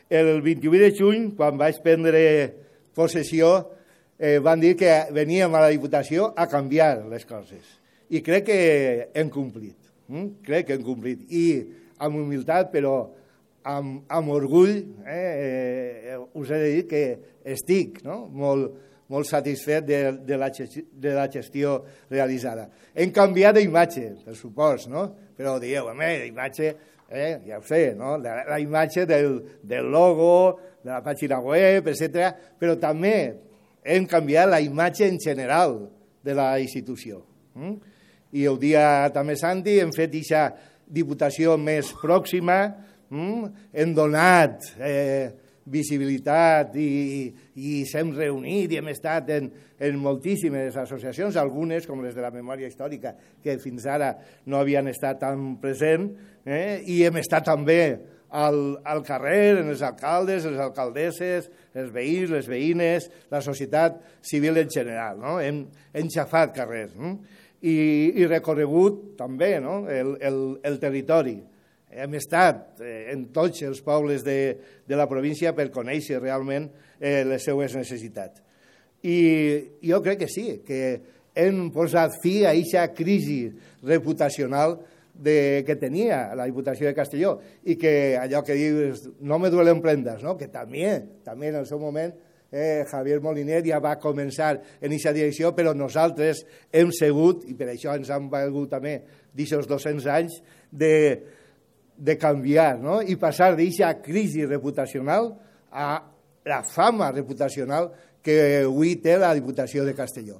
el 28 de juny, quan vaig prendre possessió, van dir que veníem a la Diputació a canviar les coses. I crec que hem complit. Crec que hem complit. I amb humilitat, però amb orgull, us he de dir que estic molt satisfet de la gestió realitzada. Hem canviat d'imatge, per supost, però dieu, d'imatge, ja ho sé, la imatge del logo, de la pàgina web, etc. Però també hem canviat la imatge en general de la institució. I el dia també, Santi, hem fet aquesta diputació més pròxima, hem donat visibilitat i s'hem reunit i hem estat en moltíssimes associacions, algunes, com les de la memòria històrica, que fins ara no havien estat tan presents, i hem estat també al carrer, en els alcaldes, les alcaldesses, els veïns, les veïnes, la societat civil en general. Hem xafat carrers i recorregut també el territori. Hem estat en tots els pobles de la província per conèixer realment les seues necessitats. I jo crec que sí, que hem posat fi a aquesta crisi reputacional que tenia la Diputació de Castelló i que allò que dius, no me duelen prendas, que també en el seu moment Javier Moliner ja va començar en aquesta direcció, però nosaltres hem segut, i per això ens han valgut també d'aquests 200 anys, de canviar i passar d'aquesta crisi reputacional a la fama reputacional que avui té la Diputació de Castelló.